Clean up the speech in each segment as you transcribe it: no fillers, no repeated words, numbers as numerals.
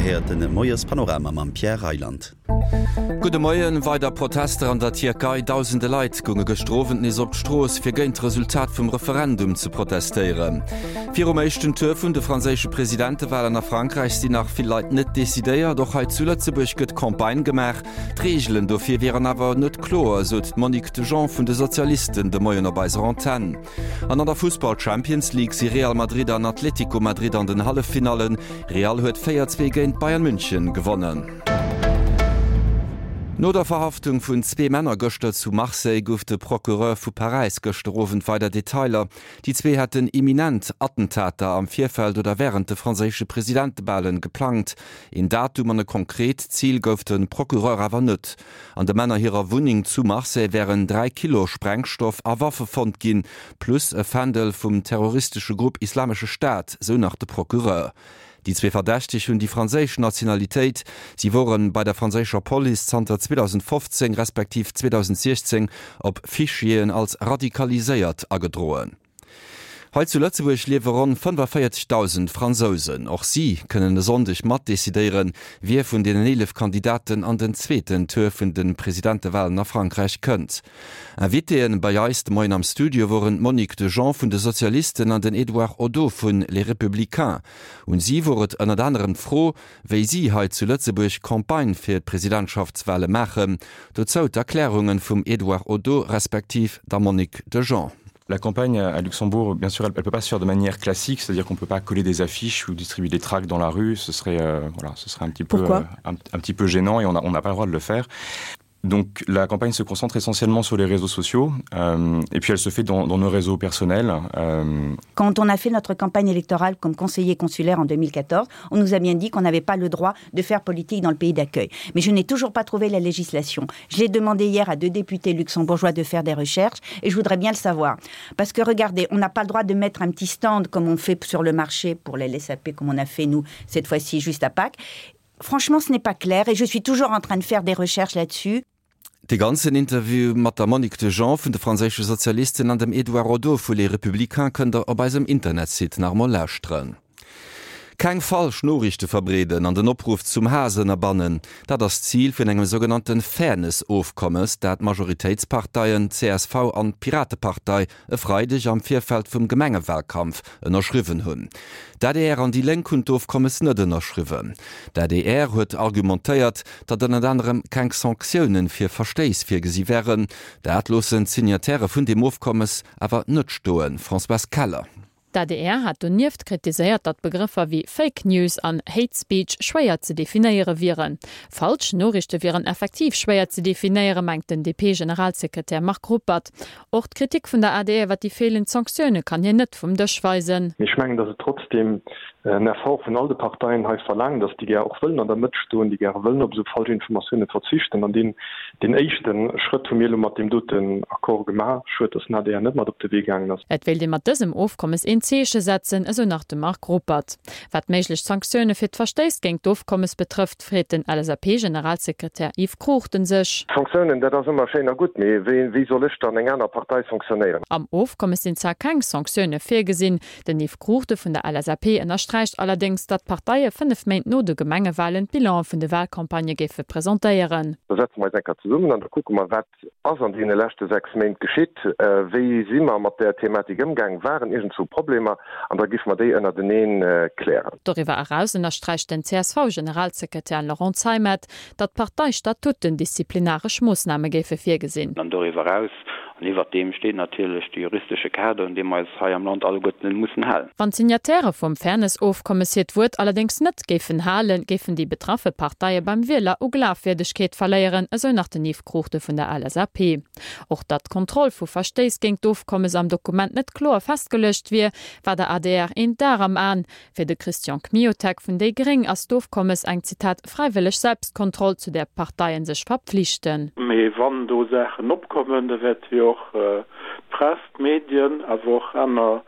Dir héiert de Moiespanorama mam Pierre Reyland. Gudde Moien. Weider Protester an der Tierkei. Dausende Leit gounge gëschter Owend nees op d'Strooss, fir géint d'Resultat vum Referendum ze protestéieren. Virum éischten Tour vun de franséische Presidentewalen a Frankräich sinn nach vill Leit net decidéiert. Och hei zu Lëtzebuerg gëtt Campagne gemaach. D'Reegelen dofir wieren awer net kloer, sot d'Monique Dejean vun de Sozialisten de Moien op eiser Antenn. An an der Fussball-Champions League si Real Madrid an Atlético Madrid an den Halleffinallen. Real huet 4, 2 géint Bayern München gewonnen. No der Verhaftung vun zwee Männer gëschter zu Marseille gouf de Procureur vu Paräis gëschter Owend weider Detailer. Déi zwee hätten imminent Attentater am Virfeld oder wärend de franséische Presidentewalen geplangt. Een Datum an e konkret Zil gouf de Procureur awer net. An de Männer hirer Wunneng zu Marseille wären 3 Kilo Sprengstoff a Waffe fonnt ginn, plus e Fändel vum terroristesche Grupp Islamesche Staat, sou nach de Procureur. Déi zwee Verdächteg hunn déi franséisch Nationalitéit. Si wore bei der franséischer Police zanter 2015 respektiv 2016 op Fichieren als radikaliséiert agedroen. Hei zu Lëtzebuerg liewe ronn 45.000 Fransousen. Och si kënnen e Sonndeg mat decidéieren, wie vun deenen 11 Kandidaten an den zweeten Tour vun de Presidentewalen a Frankräich kënnt. Invitéen bei eis de Moien am Studio woren d'Monique Dejean vun de Sozialisten an den Edouard Oddo vun Les Républicains. Un si wor et ënnert anerem d'Fro, wéi si hei zu Lëtzebuerg Campagne fir d'Presidentschaftswale maachen. Dozou d'Erklärungen vum Edouard Oddo respektiv der Monique Dejean. La campagne à Luxembourg, bien sûr, elle, elle peut pas se faire de manière classique, c'est-à-dire qu'on peut pas coller des affiches ou distribuer des tracts dans la rue, ce serait, euh, voilà, ce serait un, petit peu, euh, un, un petit peu gênant et on n'a pas le droit de le faire. Donc la campagne se concentre essentiellement sur les réseaux sociaux euh, et puis elle se fait dans, dans nos réseaux personnels. Euh... Quand on a fait notre campagne électorale comme conseiller consulaire en 2014, on nous a bien dit qu'on n'avait pas le droit de faire politique dans le pays d'accueil. Mais je n'ai toujours pas trouvé la législation. J'ai demandé hier à deux députés luxembourgeois de faire des recherches et je voudrais bien le savoir. Parce que regardez, on n'a pas le droit de mettre un petit stand comme on fait sur le marché pour les LSAP comme on a fait nous cette fois-ci juste à Pâques. Franchement, ce n'est pas clair et je suis toujours en train de faire des recherches là-dessus. De ganzen Interview mat der Monique Dejean vun de franséische Sozialisten an dem Edouard Oddo vu Les Républicains kënnt der op eisem Internetsite nach emol lauschteren. Keng falsch Noriichte verbreeden an den Opruff zum Haass ënnerbannen, dat ass d'Zil vun engem sougenannte Fairness-Ofkommes, dat d'Majoritéitsparteien csv an d'Piratepartei e Freideg am Virfeld vum Gemengewalkampf ënnerschriwwen hunn. D'adr an déi Lénk hunn d'Ofkommes net ënnerschriwwen. D'adr huet argumentéiert, datt ënnert anerem keng Sanktioune fir Verstéiss virgesi wären. Dat loossen d'Signatairë vun deem Ofkommes awer net stoen. Françoise Keller. D'ADR hat donieft kritiséiert, datt Begrëffer wéi Fake News an Hate Speech schwéier ze definéiere wieren. Falsch Noriichte wieren effektiv schwéier ze definéieren, mengt den DP-Generalsekretär Marc Ruppert. Och d'Kritik vun der adr iwwer déi feelend Sanktioune kann hien net vum Dësch weisen. Mee ech mengen, datt et trotzdeem en Effort vun all de Parteien hei verlaangt ass, déi gär och wëllen an der Mëtt stoen, déi gäre wëllen op esou falsch Informatioune verzichten. An deen, deen éischte Schrëtt hu mir elo mat deem doten Accord gemaach. Schued, datt den adr net mat op de Wee gaangen ass. Et wéilt ee mat dësem Ofkommes een Zeeche setzen, esou nach de Marc Ruppert. Wat méiglech Sanktioune fir d'Verstéiss géint d'Ofkommes betrëfft, freet den LSAP-Generalsekretär Yves Cruchten sech. Sanktiounen, dat ass ëmmer schéin a gutt, mee wéi soll ech dann eng aner Partei sanktionéieren? Am Ofkommes sinn zwar keng Sanktioune virgesinn. Den Yves Cruchten vun der LSAP ënnersträicht allerdéngs, datt d'Parteie 5 Méint no de Gemengewalen d'Bilane vun de Walcampagnë géife presentéieren. Da setze mer eis eng Kéier zesummen an da kucke mer, wat ass an deene leschte 6 Méint geschitt, wéi si mer mat där Thematik ëmgaangen, waren iergendzwou Problemer, an da géife mer déi ënnerteneen klären. Doriwwer eraus ënnersträicht den CSV-Generalsekretär Laurent Zeimet, datt d'Parteistatuten disziplinaresch Moossname géife virgesinn. An doriwwer eraus an iwwert deem steet natierlech de juristesche Kader, un dee mer eis hei am Land alleguerten mussen halen. Wann d'Signatairë vum Fairness-Ofkommes hiert Wuert allerdéngs net géifen halen, géifen déi betraffe Parteie beim Wieler u Glafwierdegkeet verléieren, esou nach den Yves Cruchten vun der LSAP. Och datt d'Kontroll vu Verstéiss géint d'Ofkommes am Dokument net kloer festgeluecht wier, war der adr een Dar am An. Fir de Christian Kmiotek vun déi gréng ass d'Ofkommes eng, Zitat, fräiwëlleg Selbstkontroll, zu där d'Parteien sech verpflichten. Mee wann do Saachen opkommen, da wäerte jo och d'Press, d'Medien, awer och aner.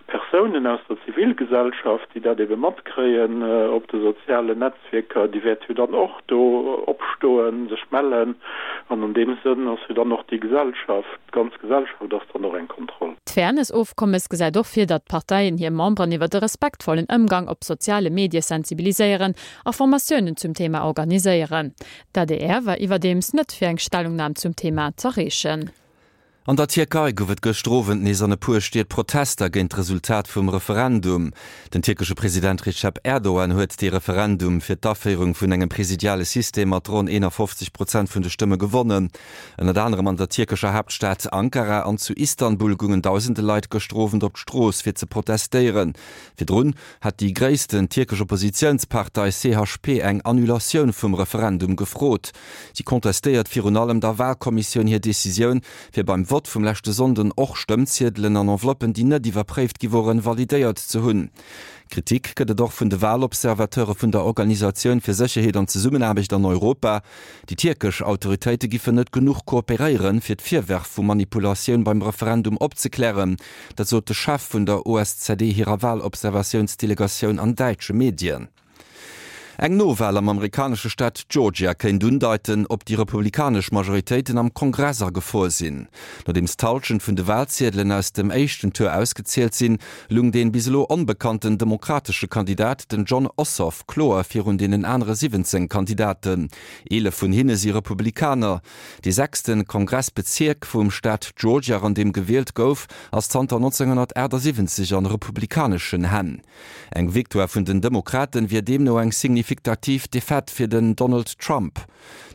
Persounen aus der Zivilgesellschaft, déi dat ebe matkréien op de sozialen Netzwierker, déi wäerte jo dann och do opstoen, sech mellen. An an deem Sënn ass jo dann och déi Gesellschaft, d'ganz Gesellschaft ass dann och eng Kontroll. D'Fairness-Ofkommes gesäit och vir, datt d'Parteien hir Memberen iwwer e respektvollen Ëmgang op soziale Medie sensibiliséieren a Formatiounen zum Thema organiséieren. D'ADR war iwwerdeems net fir eng Stellungnam zum Thema z'erreechen. An der Tierkei gouf et gëschter Owend nees an e puer Stied Protester géint d'Resultat vum Referendum. Den tierkesche President Recep Erdogan huet dee Referendum fir d'Aféierung vun engem presidiale System mat ronn 51 Prozent vun de Stëmme gewonnen. Ënnert anerem an der tierkescher Haaptstad Ankara an zu Istanbul goungen dausende Leit gëschter Owend op d'Strooss fir ze protestéieren. Virdrun hat déi gréissten tierkesch Oppositiounspartei CHP eng Annulatioun vum Referendum gefrot. Si contestéiert virun allem der Walkommissioun hir Decisioun, fir beim Vott vum leschte Sonnden och Stëmmziedelen an Enveloppen, déi net iwwerpréift gi woren, validéiert ze hunn. Kritik gëtt et och vun de Walobservateure vun der Organisatioun fir Sécherheet an Zesummenaarbecht an Europa. Déi tierkesch Autoritéite giffen net genuch kooperéieren, fir d'Virwërf vu Manipulatioun beim Referendum opzeklären. Dat sot de Chef vun der OSZE hirer Walobservatiounsdelegatioun an däitsche Medien. Eng Nowal am amerikanesche Staat Georgia kéint undeiten, ob déi republikanesch Majoritéiten am Kongress a Gefor sinn. Nodeems d'Hallschent vun de Walziedelen aus dem éischten Tour ausgezielt sinn, lung dee bis elo onbekannten demokratesche Kandidat, den Jon Ossoff, kloer virun deenen anere 17 Kandidaten. 11 vun hinne si Republikaner. Dee sechste Kongressbezierk vum Staat Georgia, an deem gewielt gouf, ass zanter 1978 an republikaneschen Hänn. Eng Victoire vun den Demokraten wier deemno eng signifiktativ Defaite fir den Donald Trump.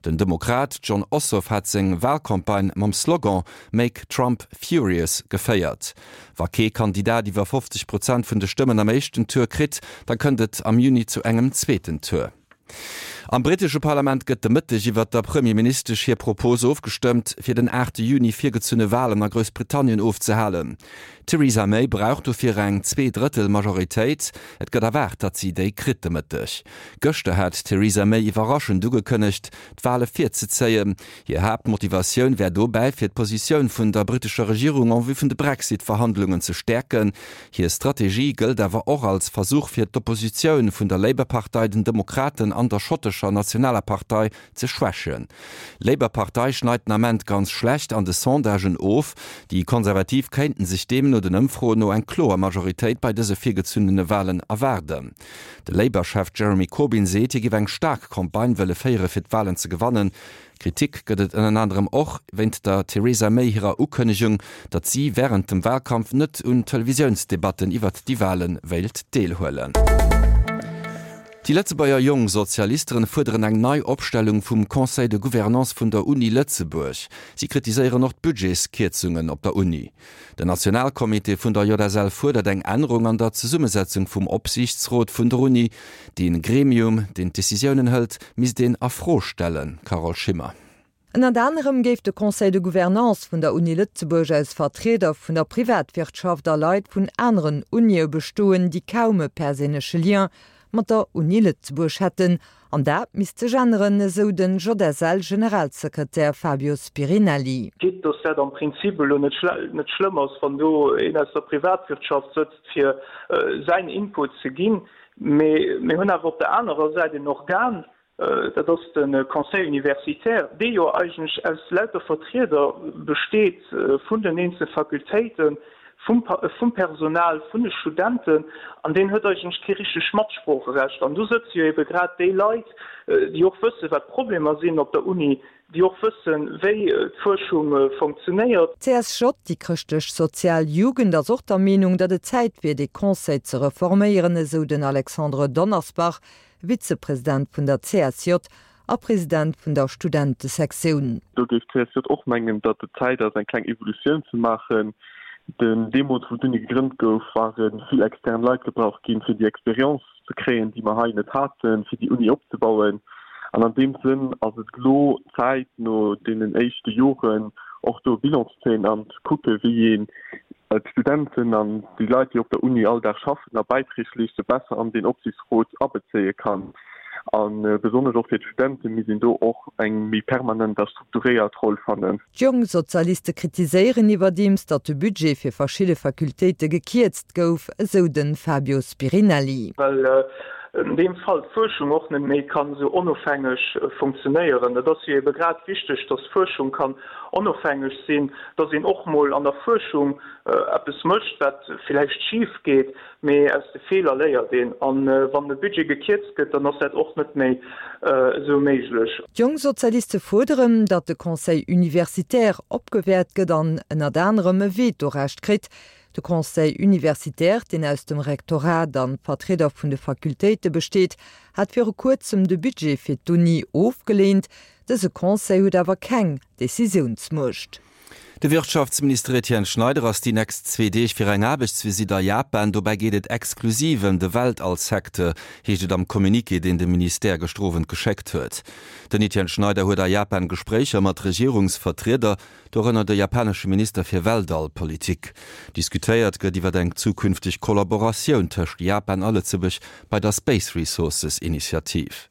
Den Demokrat Jon Ossoff hat seng Walcampagne mam Slogan Make Trump Furious geféiert. Wa kee Kandidat iwwer 50 Prozent vun de Stëmmen am éischten Tour kritt, da kënnt et am Juni zu engem zweeten Tour. Am brittesche Parlament gëtt de Mëtteg iwwert der Premierministesch hir Propos ofgestëmmt, fir den 8 Juni virgezunne Walen a Groussbritannien ofzehalen. D'Theresa May brauch dofir eng Zwee-Drëttel-Majoritéit. Et gëtt erwaart, datt si déi kritt de Mëtteg. Gëschter hat d'Theresa May iwwerraschend ugekënnegt, d'Wale virzezéien. Hir Haaptmotivatioun wär dobäi, fir d'Positioun vun der brittescher Regierung en vue vun de Brexit-Verhandlungen ze stäerken. Hir Strategie gëllt awer och als Versuch fir d'Oppositioun vun der Labour-Partei, den Demokraten an der schottescher Nationaler Partei ze schwächen. D'Labour-Partei schneit den Ament ganz schlecht an de Sondagen of. Déi Konservativ kéinten sech deemno den Ëmfroen no eng kloer Majoritéit bei dëse virgezunnene Walen erwaarden. De Labour-Chef Jeremy Corbyn seet, hie géif eng staark Campagne wëlle féiere fir d'Walen ze gewannen. Kritik gëtt et ënner anerem och wéint der Theresa May hirer Ukënnegung, datt si wärend dem Walkampf net un Televisiounsdebatten iwwert déi Wale wéilt deelhuelen. Déi Lëtzebuerger Jongsozialisteren fuerderen eng nei Opstellung vum Conseil de Gouvernance vun der Uni Lëtzebuerg. Si kritiséieren och d'Budgetskierzungen op der Uni. Den Nationalcomité vun der JSL fuerdert eng Ännerung an der Zesummesetzung vum Opsiichtsrot vun der Uni. Dee Gremium, deen d'Decisiounen hëlt, misst een a Fro stellen, Carole Schimmer. Ënnert anerem géif de Conseil de Gouvernance vun der Uni Lëtzebuerg aus Vertrieder vun der Privatwirtschaft a Leit vun aneren Unie bestoen, déi kaum e perséinleche Lien mat der Uni Lëtzebuerg hätten. An dat misst sech änneren, esou den JSL-Generalsekretär Fabio Spirinelli. Quitte dass dat am Prinzip elo net schlëmm ass, wann do een aus der Privatwirtschaft sëtzt, fir säin Input ze ginn. Mee mir hunn awer op der anerer Säit en Organ, dat ass de Conseil universitaire, dee jo eigentlech aus lauter Vertrieder besteet vun den eenzele Fakultéiten, vum Personal, vun de Studenten, an deen huet eigentlech kee richtegt Matsproocherecht. An do sëtze jo ebe grad déi Leit, déi och wëssen, wat d'Problemer sinn op der Uni, déi och wëssen, wéi d'Fuerschung funktionéiert. D'CSJ, déi chrëschtlech-sozial Jugend, ass och der Meenung, datt et Zäit wier, dee Conseil ze reforméieren, esou den Alexandre Donnersbach, Vizepresident vun der CSJ a President vun der Studentesektioun. Do géif d'CSJ och mengen, datt et Zäit ass, eng kleng Evolutioun ze maachen. Den deemools, wou d'Uni gegrënnt gouf, ware vill extern Leit gebraucht ginn, fir déi Expérience ze kréien, déi mer hei net haten, fir déi Uni opzebauen. An an deem Sënn ass et elo Zäit, no deenen éischte Joren och do e Bilan ze zéien an ze kucken, wéi een d'Studenten an déi Leit, déi op der Uni all Dag schaffen a Bäiträg leeschten, besser an deen Opsichtsrot abezéie kann. A besonnesch och fir d'Studente misst een do och eng méi permanent a strukturéiert Roll fannen. D'Jongsozialiste kritiséieren iwwerdeems, datt de Budget fir verschidde Fakultéite gekierzt gouf, esou de Fabio Spirinelli. Well an deem Fall d'Fuerschung och net méi kann esou onofhängeg funktionéieren. Et ass jo ebe grad wichteg, datt d'Fuerschung kann onofhängeg sinn, datt een och mol an der Fuerschung eppes mécht, wat villäicht schif geet, mee aus de Feeler léiert een. A wann de Budget gekierzt gëtt, dann ass dat och net méi esou méiglech. D'Jongsozialiste fuerderen, datt de Conseil universitaire opgewäert gëtt an ënnert anerem e Vetorecht kritt. De Conseil universitaire, deen aus dem Rektorat a Vertrieder vun de Fakultéite besteet, hat viru kuerzem de Budget fir d'Uni ofgeleent. Dëse Conseil huet awer keng Decisiounsmuecht. De Wirtschaftsminister Etienne Schneider ass déi nächst zwee Deeg fir eng Aarbechtsvisitt a Japan. Dobäi geet et exklusiv ëm de Weltallsecteur, heescht et am Communiqué, deen de Ministère gëschter Owend geschéckt huet. Den Etienne Schneider huet a Japan Gespréicher mat Regierungsvertrieder, dorënner de japanesche Minister fir Weltallpolitik. Diskutéiert gëtt iwwer eng zukünfteg Kollaboratioun tëscht Japan a Lëtzebuerg bei der Space Resources Initiativ.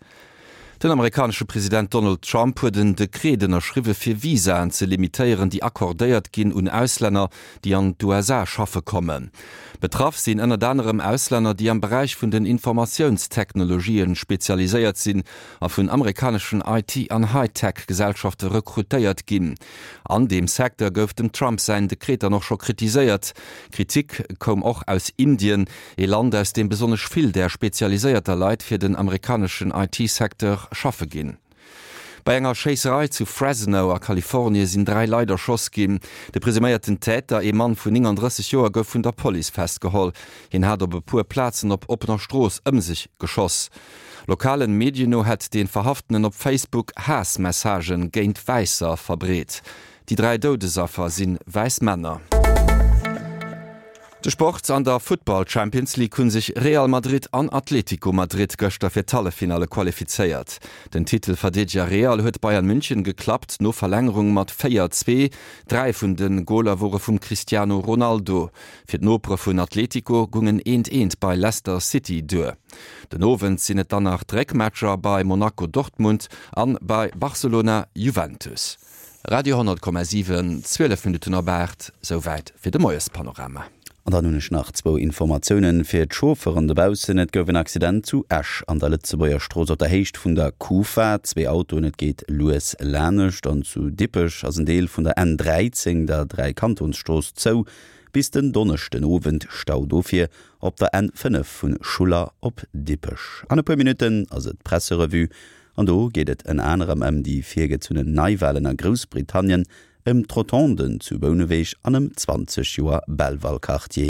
Den amerikanesche President Donald Trump huet en Dekret ënnerschriwwe fir Visaen ze limitéieren, déi accordéiert ginn un Auslänner, déi an d'USA schaffe kommen. Betraff sinn ënnert anerem Auslänner, déi am Beräich vun den Informatiounstechnologien spezialiséiert sinn a vun amerikaneschen IT an High-Tech-Gesellschafte rekrutéiert ginn. An deem Secteur gouf dem Trump säin Dekret dann och scho kritiséiert. Kritik koum och aus Indien, Ee Land, aus deem besonnesch vill där spezialiséierter Leit fir den amerikaneschen IT-Secteur schaffe ginn. Bei enger Schéisserei zu Fresno a Kalifornie sinn 3 Leit erschoss ginn. De presuméierten Täter, ee Mann vun 39 Joer, gouf vun der Police festgeholl. Hien hat op e puer Plazen op oppener Strooss ëm sech geschoss. Lokalen Medien no hätt dee Verhaftenen op Facebook Haassmessagen géint Wäisser verbreet. Déi 3 Doudesaffer si wäiss Männer. De Sport, An der Futtball Champions League hu sech Real Madrid an Atlético Madrid gëschter fir d'Halleffinalle qualifizéiert. Den Titelverdeedeger Real huet Bayern München geklappt, no Verlängerung mat 4, 2. Dräi vun de Goler wore vum Cristiano Ronaldo. Fir d'Nopere vun Atlético gung en eent eent bei Leicester City duer. Den Owend sinn et dann nach d'Réckmatcher bei Monaco Dortmund an bei Barcelona Juventus. Radio 10,7, 12 Minutten op 8, souwäit fir de Moiespanorama. An dann hunn ech nach zwou Informatiounen fir d'Chauffeuren dobaussen. Et gouf en Accident zu Esch an der Lëtzebuerger Strooss op der Héicht vun der Kufa. Zwee Autoen, et geet lues lanescht. An zu Dippech ass en Deel vun der N 13, der Dräikantonsstrooss, zou bis den Donneschden Owend. Stau dofir op der N 5 vu Schuller op Dippech. An e puer Minutten ass et d'Presserevue An do geet et ënner anerem ëm déi virgezunnen Neiwalen a Groussbritannien, ëm d'Rotonden zu Bouneweg an ëm 20 Joer Belval-Quartier.